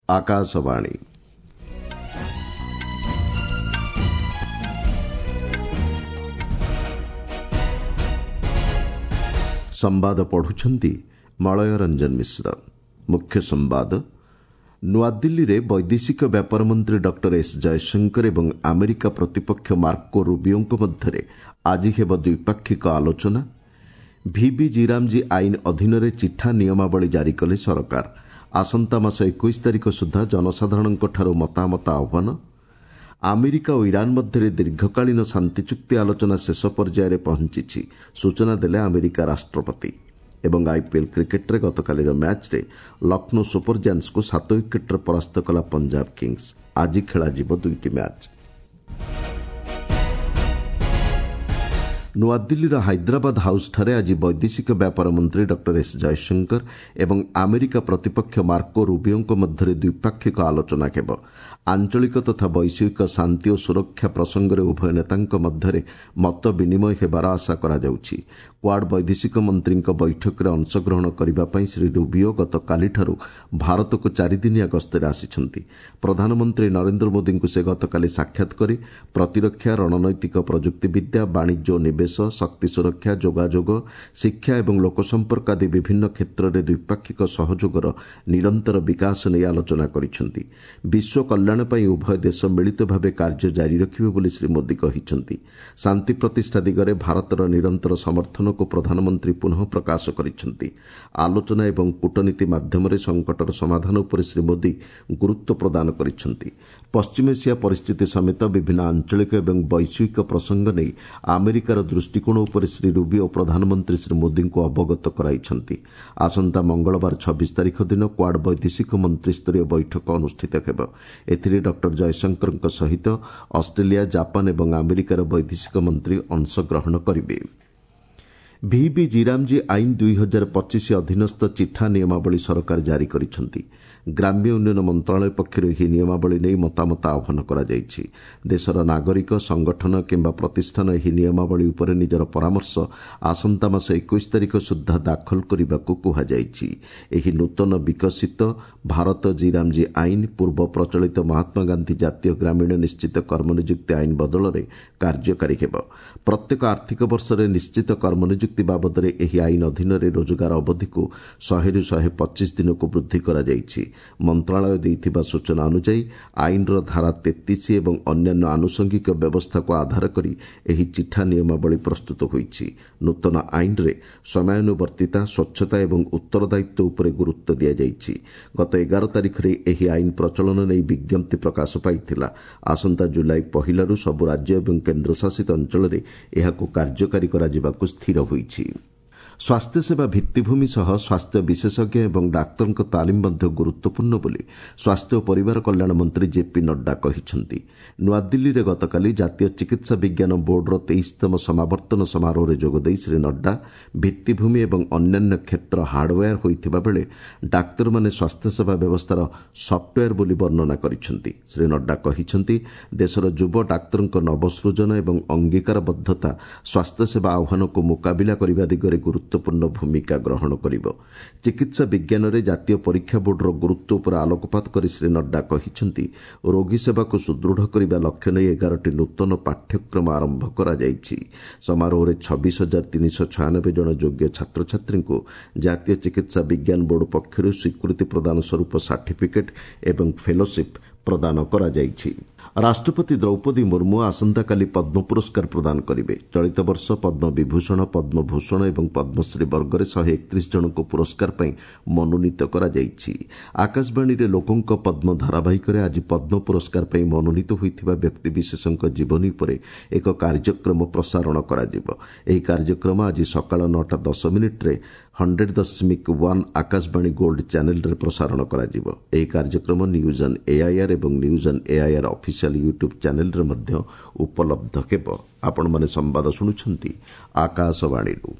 ଆକାଶବାଣୀ। ସମ୍ବାଦ ପଢୁଛନ୍ତି ମଳୟ ରଞ୍ଜନ ମିଶ୍ର। ମୁଖ୍ୟ ସମ୍ବାଦ। ନୂଆଦିଲ୍ଲୀରେ ବୈଦେଶିକ ବ୍ୟାପାର ମନ୍ତ୍ରୀ ଡକ୍ଟର ଏସ୍ ଜୟଶଙ୍କର ଏବଂ ଆମେରିକା ପ୍ରତିପକ୍ଷ ମାର୍କୋ ରୁବିଓଙ୍କ ମଧ୍ୟରେ ଆଜି ହେବ ଦ୍ୱିପାକ୍ଷିକ ଆଲୋଚନା। ଭିବି ଜିରାମଜୀ ଆଇନ ଅଧୀନରେ ଚିଠା ନିୟମାବଳୀ ଜାରି କଲେ ସରକାର। ଆସନ୍ତା ମାସ 21 ତାରିଖ ସୁଦ୍ଧା ଜନସାଧାରଣଙ୍କଠାରୁ ମତାମତ ଆହ୍ୱାନ। ଆମେରିକା ଓ ଇରାନ୍ ମଧ୍ୟରେ ଦୀର୍ଘକାଳୀନ ଶାନ୍ତି ଚୁକ୍ତି ଆଲୋଚନା ଶେଷ ପର୍ଯ୍ୟାୟରେ ପହଞ୍ଚିଛି, ସୂଚନା ଦେଲେ ଆମେରିକା ରାଷ୍ଟ୍ରପତି। ଏବଂ ଆଇପିଏଲ୍ କ୍ରିକେଟ୍ରେ ଗତକାଲିର ମ୍ୟାଚ୍ରେ ଲକ୍ଷ୍ନୌ ସୁପର ଜାୟାଣ୍ଟସ୍କୁ 7 ୱିକେଟ୍ରେ ପରାସ୍ତ କଲା ପଞ୍ଜାବ କିଙ୍ଗସ୍। ଆଜି ଖେଳାଯିବ ଦୁଇଟି ମ୍ୟାଚ୍। ନୂଆଦିଲ୍ଲୀର ହାଇଦ୍ରାବାଦ ହାଉସ୍ଠାରେ ଆଜି ବୈଦେଶିକ ବ୍ୟାପାର ମନ୍ତ୍ରୀ ଡକ୍ଟର ଏସ୍ ଜୟଶଙ୍କର ଏବଂ ଆମେରିକା ପ୍ରତିପକ୍ଷ ମାର୍କୋ ରୁବିଓଙ୍କ ମଧ୍ୟରେ ଦ୍ୱିପାକ୍ଷିକ ଆଲୋଚନା ହେବ। ଆଞ୍ଚଳିକ ତଥା ବୈଶ୍ୱିକ ଶାନ୍ତି ଓ ସୁରକ୍ଷା ପ୍ରସଙ୍ଗରେ ଉଭୟ ନେତାଙ୍କ ମଧ୍ୟରେ ମତ ବିନିମୟ ହେବାର ଆଶା କରାଯାଉଛି। କ୍ୱାଡ୍ ବୈଦେଶିକ ମନ୍ତ୍ରୀଙ୍କ ବୈଠକରେ ଅଂଶଗ୍ରହଣ କରିବା ପାଇଁ ଶ୍ରୀ ରୁବିଓ ଗତକାଲିଠାରୁ ଭାରତକୁ ଚାରିଦିନିଆ ଗସ୍ତରେ ଆସିଛନ୍ତି। ପ୍ରଧାନମନ୍ତ୍ରୀ ନରେନ୍ଦ୍ର ମୋଦିଙ୍କୁ ସେ ଗତକାଲି ସାକ୍ଷାତ କରି ପ୍ରତିରକ୍ଷା, ରଣନୈତିକ ପ୍ରଯୁକ୍ତିବିଦ୍ୟା, ବାଣିଜ୍ୟ ଓ ନିବେଶ, ଶକ୍ତି ସୁରକ୍ଷା, ଯୋଗାଯୋଗ, ଶିକ୍ଷା ଏବଂ ଲୋକସମ୍ପର୍କ ଆଦି ବିଭିନ୍ନ କ୍ଷେତ୍ରରେ ଦ୍ୱିପାକ୍ଷିକ ସହଯୋଗର ନିରନ୍ତର ବିକାଶ ନେଇ ଆଲୋଚନା କରିଛନ୍ତି। ବିଶ୍ୱ କଲ୍ୟାଣ ପାଇଁ ଉଭୟ ଦେଶ ମିଳିତ ଭାବେ କାର୍ଯ୍ୟ ଜାରି ରଖିବେ ବୋଲି ଶ୍ରୀ ମୋଦି କହିଛନ୍ତି। ଶାନ୍ତି ପ୍ରତିଷ୍ଠା ଦିଗରେ ଭାରତର ନିରନ୍ତର ସମର୍ଥନକୁ ପ୍ରଧାନମନ୍ତ୍ରୀ ପୁନଃ ପ୍ରକାଶ କରିଛନ୍ତି। ଆଲୋଚନା ଏବଂ କୂଟନୀତି ମାଧ୍ୟମରେ ସଙ୍କଟର ସମାଧାନ ଉପରେ ଶ୍ରୀ ମୋଦି ଗୁରୁତ୍ୱ ପ୍ରଦାନ କରିଛନ୍ତି। ପଶ୍ଚିମ ଏସିଆ ପରିସ୍ଥିତି ସମେତ ବିଭିନ୍ନ ଆଞ୍ଚଳିକ ଏବଂ ବୈଶ୍ୱିକ ପ୍ରସଙ୍ଗ ନେଇ ଆମେରିକାର ଦୃଷ୍ଟିକୋଣ ଉପରେ ଶ୍ରୀ ରୁବିଓ ପ୍ରଧାନମନ୍ତ୍ରୀ ଶ୍ରୀ ମୋଦିଙ୍କୁ ଅବଗତ କରାଇଛନ୍ତି। ଆସନ୍ତା ମଙ୍ଗଳବାର 26 ତାରିଖ ଦିନ କ୍ୱାଡ୍ ବୈଦେଶିକ ମନ୍ତ୍ରୀସ୍ତରୀୟ ବୈଠକ ଅନୁଷ୍ଠିତ ହେବ। ଏଥିରେ ଡକ୍ଟର ଜୟଶଙ୍କରଙ୍କ ସହିତ ଅଷ୍ଟ୍ରେଲିଆ, ଜାପାନ ଏବଂ ଆମେରିକାର ବୈଦେଶିକ ମନ୍ତ୍ରୀ ଅଂଶଗ୍ରହଣ କରିବେ। ଭିବି ଜିରାମଜୀ ଆଇନ 2025 ଅଧୀନସ୍ଥ ଚିଠା ନିୟମାବଳୀ ସରକାର ଜାରି କରିଛନ୍ତି। ଗ୍ରାମ୍ୟ ଉନ୍ନୟନ ମନ୍ତ୍ରଣାଳୟ ପକ୍ଷରୁ ଏହି ନିୟମାବଳୀ ନେଇ ମତାମତ ଆହ୍ୱାନ କରାଯାଇଛି। ଦେଶର ନାଗରିକ, ସଂଗଠନ କିମ୍ବା ପ୍ରତିଷ୍ଠାନ ଏହି ନିୟମାବଳୀ ଉପରେ ନିଜର ପରାମର୍ଶ ଆସନ୍ତା ମାସ 21 ତାରିଖ ସୁଦ୍ଧା ଦାଖଲ କରିବାକୁ କୁହାଯାଇଛି। ଏହି ନୂତନ ବିକଶିତ ଭାରତ ଜିରାମଜୀ ଆଇନ ପୂର୍ବ ପ୍ରଚଳିତ ମହାତ୍ମାଗାନ୍ଧୀ ଜାତୀୟ ଗ୍ରାମୀଣ ନିଶ୍ଚିତ କର୍ମନିଯୁକ୍ତି ଆଇନ ବଦଳରେ କାର୍ଯ୍ୟକାରୀ ହେବ। ପ୍ରତ୍ୟେକ ଆର୍ଥିକ ବର୍ଷରେ ନିଶ୍ଚିତ କର୍ମନିଯୁକ୍ତି ବାବଦରେ ଏହି ଆଇନ ଅଧୀନରେ ରୋଜଗାର ଅବଧିକୁ 100ରୁ 125 ଦିନକୁ ବୃଦ୍ଧି କରାଯାଇଛି। ମନ୍ତ୍ରଣାଳୟ ଦେଇଥିବା ସୂଚନା ଅନୁଯାୟୀ ଆଇନର ଧାରା 33 ଏବଂ ଅନ୍ୟାନ୍ୟ ଆନୁଷଙ୍ଗିକ ବ୍ୟବସ୍ଥାକୁ ଆଧାର କରି ଏହି ଚିଠା ନିୟମାବଳୀ ପ୍ରସ୍ତୁତ ହୋଇଛି। ନୂତନ ଆଇନରେ ସମୟାନୁବର୍ତ୍ତିତା, ସ୍ୱଚ୍ଛତା ଏବଂ ଉତ୍ତରଦାୟିତ୍ୱ ଉପରେ ଗୁରୁତ୍ୱ ଦିଆଯାଇଛି। ଗତ 11 ତାରିଖରେ ଏହି ଆଇନ ପ୍ରଚଳନ ନେଇ ବିଜ୍ଞପ୍ତି ପ୍ରକାଶ ପାଇଥିଲା। ଆସନ୍ତା ଜୁଲାଇ 1ରୁ ସବୁ ରାଜ୍ୟ ଏବଂ କେନ୍ଦ୍ରଶାସିତ ଅଞ୍ଚଳରେ ଏହାକୁ କାର୍ଯ୍ୟକାରୀ କରାଯିବାକୁ ସ୍ଥିର ହୋଇଛି। ସ୍ୱାସ୍ଥ୍ୟସେବା ଭିତ୍ତିଭୂମି ସହ ସ୍ୱାସ୍ଥ୍ୟ ବିଶେଷଜ୍ଞ ଏବଂ ଡାକ୍ତରଙ୍କ ତାଲିମ ମଧ୍ୟ ଗୁରୁତ୍ୱପୂର୍ଣ୍ଣ ବୋଲି ସ୍ୱାସ୍ଥ୍ୟ ଓ ପରିବାର କଲ୍ୟାଣ ମନ୍ତ୍ରୀ ଜେପି ନଡ୍ଡା କହିଛନ୍ତି। ନୂଆଦିଲ୍ଲୀରେ ଗତକାଲି ଜାତୀୟ ଚିକିତ୍ସା ବିଜ୍ଞାନ ବୋର୍ଡର 23ତମ ସମାବର୍ତ୍ତନ ସମାରୋହରେ ଯୋଗଦେଇ ଶ୍ରୀ ନଡ୍ଡା ଭିତ୍ତିଭୂମି ଏବଂ ଅନ୍ୟାନ୍ୟ କ୍ଷେତ୍ର ହାର୍ଡୱେୟାର ହୋଇଥିବା ବେଳେ ଡାକ୍ତରମାନେ ସ୍ୱାସ୍ଥ୍ୟସେବା ବ୍ୟବସ୍ଥାର ସଫ୍ଟୱେୟାର ବୋଲି ବର୍ଣ୍ଣନା କରିଛନ୍ତି। ଶ୍ରୀ ନଡ୍ଡା କହିଛନ୍ତି, ଦେଶର ଯୁବ ଡାକ୍ତରଙ୍କ ନବସୃଜନ ଏବଂ ଅଙ୍ଗୀକାରବଦ୍ଧତା ସ୍ୱାସ୍ଥ୍ୟସେବା ଆହ୍ୱାନକୁ ମୁକାବିଲା କରିବା ଦିଗରେ ଗୁରୁତ୍ୱପୂର୍ଣ୍ଣ ଭୂମିକା ଗ୍ରହଣ କରିବ। ଚିକିତ୍ସା ବିଜ୍ଞାନରେ ଜାତୀୟ ପରୀକ୍ଷା ବୋର୍ଡର ଗୁରୁତ୍ୱ ଉପରେ ଆଲୋକପାତ କରି ଶ୍ରୀ ନଡ୍ଡା କହିଛନ୍ତି, ରୋଗୀ ସେବାକୁ ସୁଦୃଢ଼ କରିବା ଲକ୍ଷ୍ୟ ନେଇ 11ଟି ନୂତନ ପାଠ୍ୟକ୍ରମ ଆରମ୍ଭ କରାଯାଇଛି। ସମାରୋହରେ 26,396 ଜଣ ଯୋଗ୍ୟ ଛାତ୍ରଛାତ୍ରୀଙ୍କୁ ଜାତୀୟ ଚିକିତ୍ସା ବିଜ୍ଞାନ ବୋର୍ଡ ପକ୍ଷରୁ ସ୍ୱୀକୃତି ପ୍ରଦାନ ସ୍ୱରୂପ ସାର୍ଟିଫିକେଟ୍ ଏବଂ ଫେଲୋସିପ୍ ପ୍ରଦାନ କରାଯାଇଛି। ରାଷ୍ଟ୍ରପତି ଦ୍ରୌପଦୀ ମୁର୍ମୁ ଆସନ୍ତାକାଲି ପଦ୍ମ ପୁରସ୍କାର ପ୍ରଦାନ କରିବେ। ଚଳିତ ବର୍ଷ ପଦ୍ମ ବିଭୂଷଣ, ପଦ୍ମଭୂଷଣ ଏବଂ ପଦ୍ମଶ୍ରୀ ବର୍ଗରେ 131 ଜଣଙ୍କୁ ପୁରସ୍କାର ପାଇଁ ମନୋନୀତ କରାଯାଇଛି। ଆକାଶବାଣୀରେ ଲୋକଙ୍କ ପଦ୍ମ ଧାରାବାହିକରେ ଆଜି ପଦ୍ମ ପୁରସ୍କାର ପାଇଁ ମନୋନୀତ ହୋଇଥିବା ବ୍ୟକ୍ତିବିଶେଷଙ୍କ ଜୀବନୀ ଉପରେ ଏକ କାର୍ଯ୍ୟକ୍ରମ ପ୍ରସାରଣ କରାଯିବ। ଏହି କାର୍ଯ୍ୟକ୍ରମ ଆଜି ସକାଳ 9ଟା 10 ମିନିଟ୍ରେ 100.1 ଆକାଶବାଣୀ ଗୋଲ୍ଡ ଚ୍ୟାନେଲ୍ରେ ପ୍ରସାରଣ କରାଯିବ। ଏହି କାର୍ଯ୍ୟକ୍ରମ ନ୍ୟୁଜ୍ ଅନ୍ ଏଆଇଆର୍ ଏବଂ news on AIR official YouTube ଚ୍ୟାନେଲ୍ରେ ମଧ୍ୟ ଉପଲବ୍ଧ ହେବ। ଆପଣମାନେ ସମ୍ବାଦ ଶୁଣୁଛନ୍ତି ଆକାଶବାଣୀରୁ।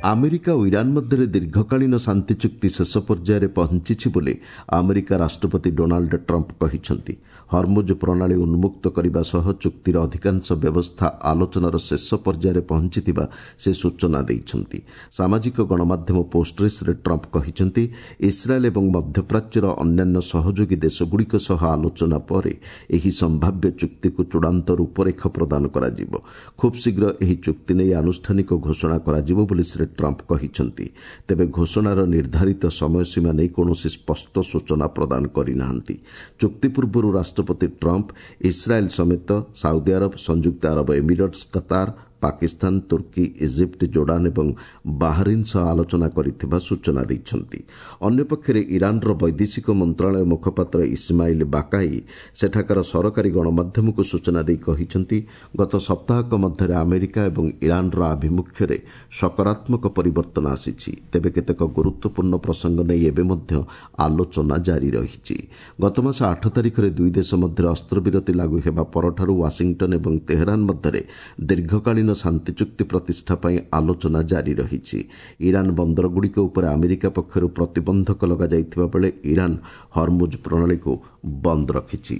ଆମେରିକା ଓ ଇରାନ୍ ମଧ୍ୟରେ ଦୀର୍ଘକାଳୀନ ଶାନ୍ତି ଚୁକ୍ତି ଶେଷ ପର୍ଯ୍ୟାୟରେ ପହଞ୍ଚିଛି ବୋଲି ଆମେରିକା ରାଷ୍ଟ୍ରପତି ଡୋନାଲ୍ଡ ଟ୍ରମ୍ପ କହିଛନ୍ତି। ହରମୁଜ ପ୍ରଣାଳୀ ଉନ୍ମୁକ୍ତ କରିବା ସହ ଚୁକ୍ତିର ଅଧିକାଂଶ ବ୍ୟବସ୍ଥା ଆଲୋଚନାର ଶେଷ ପର୍ଯ୍ୟାୟରେ ପହଞ୍ଚିଥିବା ସେ ସୂଚନା ଦେଇଛନ୍ତି। ସାମାଜିକ ଗଣମାଧ୍ୟମ ପୋଷ୍ଟରେ ଶ୍ରୀ ଟ୍ରମ୍ପ କହିଛନ୍ତି, ଇସ୍ରାଏଲ୍ ଏବଂ ମଧ୍ୟପ୍ରାଚ୍ୟର ଅନ୍ୟାନ୍ୟ ସହଯୋଗୀ ଦେଶଗୁଡ଼ିକ ସହ ଆଲୋଚନା ପରେ ଏହି ସମ୍ଭାବ୍ୟ ଚୁକ୍ତିକୁ ଚୂଡ଼ାନ୍ତ ରୂପରେଖ ପ୍ରଦାନ କରାଯିବ। ଖୁବ୍ ଶୀଘ୍ର ଏହି ଚୁକ୍ତି ନେଇ ଆନୁଷ୍ଠାନିକ ଘୋଷଣା କରାଯିବ ବୋଲି ଶ୍ରୀ ଟ୍ରମ୍ପ କହିଛନ୍ତି। ତେବେ ଘୋଷଣାର ନିର୍ଦ୍ଧାରିତ ସମୟସୀମା ନେଇ କୌଣସି ସ୍ପଷ୍ଟ ସୂଚନା ପ୍ରଦାନ କରିନାହାନ୍ତି। ଚୁକ୍ତି ପୂର୍ବରୁ ରାଷ୍ଟ୍ରପତି ଟ୍ରମ୍ପ ଇସ୍ରାଏଲ୍ ସମେତ ସାଉଦି ଆରବ, ସଂଯୁକ୍ତ ଆରବ ଏମିରେଟ୍ସ, କତାର, ପାକିସ୍ତାନ, ତୁର୍କୀ, ଇଜିପ୍ଟ, ଜୋର୍ଡାନ ଏବଂ ବାହାରିନ୍ ସହ ଆଲୋଚନା କରିଥିବା ସୂଚନା ଦେଇଛନ୍ତି। ଅନ୍ୟପକ୍ଷରେ ଇରାନ୍ର ବୈଦେଶିକ ମନ୍ତ୍ରଣାଳୟ ମୁଖପାତ୍ର ଇସ୍ମାଇଲ୍ ବାକାଇ ସେଠାକାର ସରକାରୀ ଗଣମାଧ୍ୟମକୁ ସୂଚନା ଦେଇ କହିଛନ୍ତି, ଗତ ସପ୍ତାହକ ମଧ୍ୟରେ ଆମେରିକା ଏବଂ ଇରାନ୍ର ଆଭିମୁଖ୍ୟରେ ସକାରାତ୍ମକ ପରିବର୍ତ୍ତନ ଆସିଛି। ତେବେ କେତେକ ଗୁରୁତ୍ୱପୂର୍ଣ୍ଣ ପ୍ରସଙ୍ଗ ନେଇ ଏବେ ମଧ୍ୟ ଆଲୋଚନା ଜାରି ରହିଛି। ଗତମାସ 8 ତାରିଖରେ ଦୁଇ ଦେଶ ମଧ୍ୟରେ ଅସ୍ତ୍ରବିରତି ଲାଗୁ ହେବା ପରଠାରୁ ୱାଶିଂଟନ୍ ଏବଂ ତେହେରାନ ମଧ୍ୟରେ ଦୀର୍ଘକାଳୀନ ଶାନ୍ତି ଚୁକ୍ତି ପ୍ରତିଷ୍ଠା ପାଇଁ ଆଲୋଚନା ଜାରି ରହିଛି। ଇରାନ୍ ବନ୍ଦରଗୁଡ଼ିକ ଉପରେ ଆମେରିକା ପକ୍ଷରୁ ପ୍ରତିବନ୍ଧକ ଲଗାଯାଇଥିବା ବେଳେ ଇରାନ୍ ହରମୁଜ ପ୍ରଣାଳୀକୁ ବନ୍ଦ ରଖିଛି।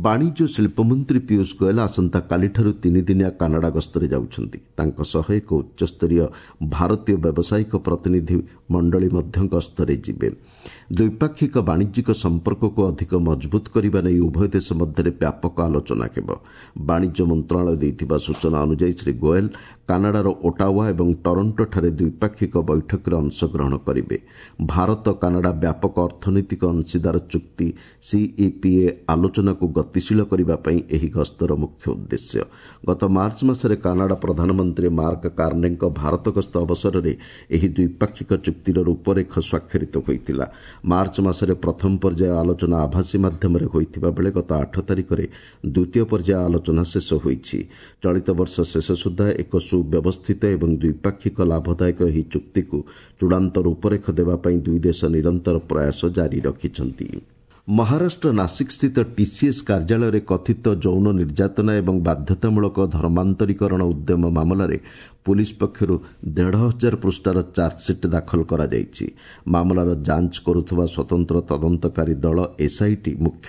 ବାଣିଜ୍ୟ ଶିଳ୍ପମନ୍ତ୍ରୀ ପୀୟୁଷ ଗୋଏଲ୍ ଆସନ୍ତାକାଲିଠାରୁ ତିନିଦିନିଆ କାନାଡା ଗସ୍ତରେ ଯାଉଛନ୍ତି। ତାଙ୍କ ସହ ଏକ ଉଚ୍ଚସ୍ତରୀୟ ଭାରତୀୟ ବ୍ୟବସାୟିକ ପ୍ରତିନିଧି ମଣ୍ଡଳୀ ମଧ୍ୟ ଗସ୍ତରେ ଯିବେ। ଦ୍ୱିପାକ୍ଷିକ ବାଣିଜ୍ୟିକ ସମ୍ପର୍କକୁ ଅଧିକ ମଜବୁତ କରିବା ନେଇ ଉଭୟ ଦେଶ ମଧ୍ୟରେ ବ୍ୟାପକ ଆଲୋଚନା ହେବ। ବାଣିଜ୍ୟ ମନ୍ତ୍ରଣାଳୟ ଦେଇଥିବା ସୂଚନା ଅନୁଯାୟୀ ଶ୍ରୀ ଗୋଏଲ୍ କାନାଡାର ଓଟାୱା ଏବଂ ଟରଣ୍ଟୋଠାରେ ଦ୍ୱିପାକ୍ଷିକ ବୈଠକରେ ଅଂଶଗ୍ରହଣ କରିବେ। ଭାରତ କାନାଡା ବ୍ୟାପକ ଅର୍ଥନୈତିକ ଅଂଶୀଦାର ଚୁକ୍ତି ସିଇପିଏ ଆଲୋଚନାକୁ ଗତିଶୀଳ କରିବା ପାଇଁ ଏହି ଗସ୍ତର ମୁଖ୍ୟ ଉଦ୍ଦେଶ୍ୟ। ଗତ ମାର୍ଚ୍ଚ ମାସରେ କାନାଡା ପ୍ରଧାନମନ୍ତ୍ରୀ ମାର୍କ କାର୍ନେଙ୍କ ଭାରତ ଗସ୍ତ ଅବସରରେ ଏହି ଦ୍ୱିପାକ୍ଷିକ ଚୁକ୍ତିର ରୂପରେଖ ସ୍ୱାକ୍ଷରିତ ହୋଇଥିଲା। ମାର୍ଚ୍ଚ ମାସରେ ପ୍ରଥମ ପର୍ଯ୍ୟାୟ ଆଲୋଚନା ଆଭାସୀ ମାଧ୍ୟମରେ ହୋଇଥିବା ବେଳେ ଗତ 8 ତାରିଖରେ ଦ୍ୱିତୀୟ ପର୍ଯ୍ୟାୟ ଆଲୋଚନା ଶେଷ ହୋଇଛି। ଚଳିତ ବର୍ଷ ଶେଷ ସୁଦ୍ଧା ଏକ ସୁବ୍ୟବସ୍ଥିତ ଏବଂ ଦ୍ୱିପାକ୍ଷିକ ଲାଭଦାୟକ ଏହି ଚୁକ୍ତିକୁ ଚୂଡ଼ାନ୍ତ ରୂପରେଖ ଦେବା ପାଇଁ ଦୁଇ ଦେଶ ନିରନ୍ତର ପ୍ରୟାସ ଜାରି ରଖିଛନ୍ତି। ମହାରାଷ୍ଟ୍ର ନାସିକ୍ସ୍ଥିତ ଟିସିଏସ୍ କାର୍ଯ୍ୟାଳୟରେ କଥିତ ଯୌନ ନିର୍ଯାତନା ଏବଂ ବାଧ୍ୟତାମୂଳକ ଧର୍ମାନ୍ତରୀକରଣ ଉଦ୍ୟମ ମାମଲାରେ ପୁଲିସ୍ ପକ୍ଷରୁ 1500 ପୃଷ୍ଠାର ଚାର୍ଜସିଟ୍ ଦାଖଲ କରାଯାଇଛି। ମାମଲାର ଯାଞ୍ଚ କରୁଥିବା ସ୍ୱତନ୍ତ୍ର ତଦନ୍ତକାରୀ ଦଳ ଏସ୍ଆଇଟି ମୁଖ୍ୟ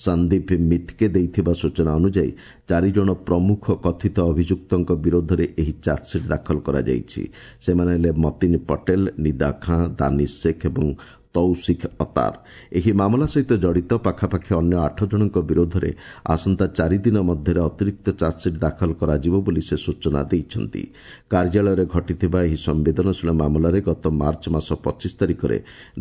ସନ୍ଦୀପ ମିତ୍କେ ଦେଇଥିବା ସୂଚନା ଅନୁଯାୟୀ 4 ଜଣ ପ୍ରମୁଖ କଥିତ ଅଭିଯୁକ୍ତଙ୍କ ବିରୋଧରେ ଏହି ଚାର୍ଜସିଟ୍ ଦାଖଲ କରାଯାଇଛି। ସେମାନେ ହେଲେ ମତିନ ପଟେଲ, ନିଦା ଖାଁ, ଦାନିଶ ଶେଖ୍ ଏବଂ ତୌସିଖ ଅତାର। ଏହି ମାମଲା ସହିତ ଜଡ଼ିତ ପାଖାପାଖି ଅନ୍ୟ 8 ଜଣଙ୍କ ବିରୋଧରେ ଆସନ୍ତା 4 ଦିନ ମଧ୍ୟରେ ଅତିରିକ୍ତ ଚାର୍ଜସିଟ୍ ଦାଖଲ କରାଯିବ ବୋଲି ସେ ସୂଚନା ଦେଇଛନ୍ତି। କାର୍ଯ୍ୟାଳୟରେ ଘଟିଥିବା ଏହି ସମ୍ବେଦନଶୀଳ ମାମଲାରେ ଗତ ମାର୍ଚ୍ଚ ମାସ 25 ତାରିଖରେ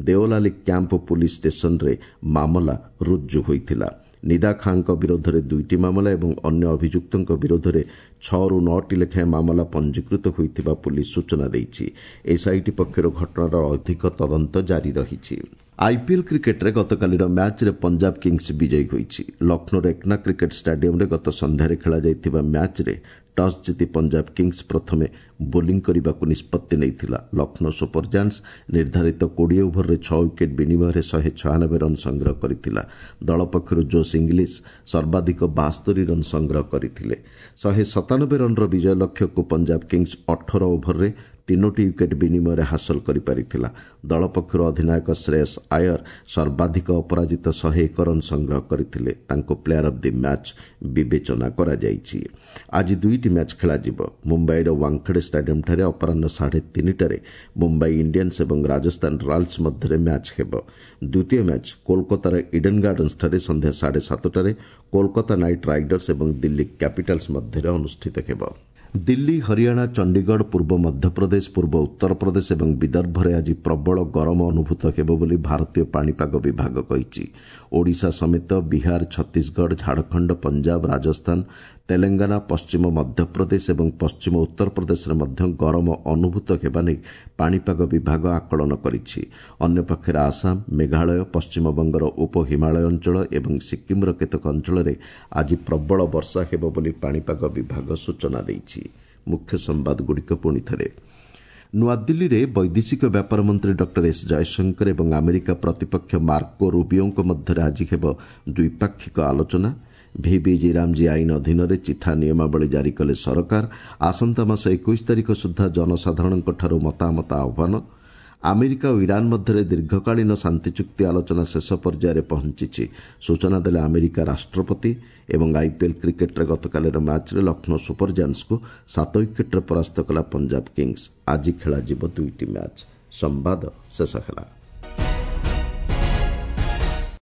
ଦେଓଲାଲି କ୍ୟାମ୍ପ ପୁଲିସ୍ ଷ୍ଟେସନରେ ମାମଲା ରୁଜୁ ହୋଇଥିଲା। ନିଦା ଖାଁଙ୍କ ବିରୋଧରେ 2ଟି ମାମଲା ଏବଂ ଅନ୍ୟ ଅଭିଯୁକ୍ତଙ୍କ ବିରୋଧରେ 6ରୁ 9ଟି ଲେଖାଏଁ ମାମଲା ପଞ୍ଜୀକୃତ ହୋଇଥିବା ପୁଲିସ୍ ସୂଚନା ଦେଇଛି। ଏସ୍ଆଇଟି ପକ୍ଷରୁ ଘଟଣାର ଅଧିକ ତଦନ୍ତ ଜାରି ରହିଛି। ଆଇପିଏଲ୍ କ୍ରିକେଟ୍ରେ ଗତକାଲିର ମ୍ୟାଚ୍ରେ ପଞ୍ଜାବ କିଙ୍ଗସ୍ ବିଜୟୀ ହୋଇଛି। ଲକ୍ଷ୍ନୌର ଏକନା କ୍ରିକେଟ୍ ଷ୍ଟାଡିୟମ୍ରେ ଗତ ସନ୍ଧ୍ୟାରେ ଖେଳାଯାଇଥିବା ମ୍ୟାଚ୍ରେ ଟସ୍ ଜିତି ପଞ୍ଜାବ କିଙ୍ଗସ୍ ପ୍ରଥମେ ବୋଲିଂ କରିବାକୁ ନିଷ୍ପତ୍ତି ନେଇଥିଲା। ଲକ୍ଷ୍ନୌ ସୁପର ଜାୟାଣ୍ଟସ୍ ନିର୍ଦ୍ଧାରିତ 20 ଓଭରରେ 6 ୱିକେଟ୍ ବିନିମୟରେ 196 ରନ୍ ସଂଗ୍ରହ କରିଥିଲା। ଦଳ ପକ୍ଷରୁ ଜୋସ୍ ଇଂଲିଶ ସର୍ବାଧିକ 72 ରନ୍ ସଂଗ୍ରହ କରିଥିଲେ। 197 ରନ୍ର ବିଜୟ ଲକ୍ଷ୍ୟକୁ ପଞ୍ଜାବ କିଙ୍ଗସ୍ 18 ଓଭରରେ 3ଟି ୱିକେଟ୍ ବିନିମୟରେ ହାସଲ କରିପାରିଥିଲା। ଦଳ ପକ୍ଷରୁ ଅଧିନାୟକ ଶ୍ରେୟସ୍ ଆୟର ସର୍ବାଧିକ ଅପରାଜିତ 101 ରନ୍ ସଂଗ୍ରହ କରିଥିଲେ। ତାଙ୍କୁ ପ୍ଲେୟାର ଅଫ୍ the match ବିବେଚନା କରାଯାଇଛି। ଆଜି 2ଟି ମ୍ୟାଚ୍ ଖେଳାଯିବ। ମୁମ୍ବାଇର ୱାଙ୍ଗଖେଡେ ଷ୍ଟାଡିୟମ୍ଠାରେ ଅପରାହ୍ନ 3:30ଟାରେ ମୁମ୍ବାଇ ଇଣ୍ଡିଆନ୍ସ ଏବଂ ରାଜସ୍ଥାନ ରୟାଲ୍ସ ମଧ୍ୟରେ ମ୍ୟାଚ୍ ହେବ। ଦ୍ୱିତୀୟ ମ୍ୟାଚ୍ କୋଲକାତାର ଇଡେନ୍ ଗାର୍ଡନ୍ସଠାରେ ସନ୍ଧ୍ୟା 7:30ଟାରେ କୋଲକାତା ନାଇଟ୍ ରାଇଡର୍ସ ଏବଂ ଦିଲ୍ଲୀ କ୍ୟାପିଟାଲ୍ସ ମଧ୍ୟରେ ଅନୁଷ୍ଠିତ ହେବ। ଦିଲ୍ଲୀ, ହରିୟାଣା, ଚଣ୍ଡିଗଡ଼, ପୂର୍ବ ମଧ୍ୟପ୍ରଦେଶ, ପୂର୍ବ ଉତ୍ତରପ୍ରଦେଶ ଏବଂ ବିଦର୍ଭରେ ଆଜି ପ୍ରବଳ ଗରମ ଅନୁଭୂତ ହେବ ବୋଲି ଭାରତୀୟ ପାଣିପାଗ ବିଭାଗ କହିଛି। ଓଡ଼ିଶା ସମେତ ବିହାର, ଛତିଶଗଡ଼, ଝାଡ଼ଖଣ୍ଡ, ପଞ୍ଜାବ, ରାଜସ୍ଥାନ, ତେଲେଙ୍ଗାନା, ପଶ୍ଚିମ ମଧ୍ୟପ୍ରଦେଶ ଏବଂ ପଶ୍ଚିମ ଉତ୍ତରପ୍ରଦେଶରେ ମଧ୍ୟ ଗରମ ଅନୁଭୂତ ହେବା ନେଇ ପାଣିପାଗ ବିଭାଗ ଆକଳନ କରିଛି। ଅନ୍ୟପକ୍ଷରେ ଆସାମ, ମେଘାଳୟ, ପଶ୍ଚିମବଙ୍ଗର ଉପ ହିମାଳୟ ଅଞ୍ଚଳ ଏବଂ ସିକ୍କିମ୍ର କେତେକ ଅଞ୍ଚଳରେ ଆଜି ପ୍ରବଳ ବର୍ଷା ହେବ ବୋଲି ପାଣିପାଗ ବିଭାଗ ସୂଚନା ଦେଇଛି। ମୁଖ୍ୟ ସମ୍ବାଦଗୁଡ଼ିକ ପୁଣି ଥରେ। ନୂଆଦିଲ୍ଲୀରେ ବୈଦେଶିକ ବ୍ୟାପାର ମନ୍ତ୍ରୀ ଡକ୍ଟର ଏସ୍ ଜୟଶଙ୍କର ଏବଂ ଆମେରିକା ପ୍ରତିପକ୍ଷ ମାର୍କୋ ରୁବିଓଙ୍କ ମଧ୍ୟରେ ଆଜି ହେବ ଦ୍ୱିପାକ୍ଷିକ ଆଲୋଚନା। ଭିବିଜି ରାମଜୀ ଆଇନ ଅଧୀନରେ ଚିଠା ନିୟମାବଳୀ ଜାରି କଲେ ସରକାର। ଆସନ୍ତା ମାସ 21 ତାରିଖ ସୁଦ୍ଧା ଜନସାଧାରଣଙ୍କଠାରୁ ମତାମତ ଆହ୍ୱାନ। ଆମେରିକା ଓ ଇରାନ୍ ମଧ୍ୟରେ ଦୀର୍ଘକାଳୀନ ଶାନ୍ତି ଚୁକ୍ତି ଆଲୋଚନା ଶେଷ ପର୍ଯ୍ୟାୟରେ ପହଞ୍ଚିଛି, ସୂଚନା ଦେଲେ ଆମେରିକା ରାଷ୍ଟ୍ରପତି। ଏବଂ ଆଇପିଏଲ୍ କ୍ରିକେଟ୍ରେ ଗତକାଲିର ମ୍ୟାଚ୍ରେ ଲକ୍ଷ୍ନୌ ସୁପର ଜାୟାଣ୍ଟସ୍କୁ 7 ୱିକେଟ୍ରେ ପରାସ୍ତ କଲା ପଞ୍ଜାବ କିଙ୍ଗସ୍। ଆଜି ଖେଳାଯିବ 2ଟି ମ୍ୟାଚ୍। ସମ୍ବାଦ ଶେଷ ହେଲା।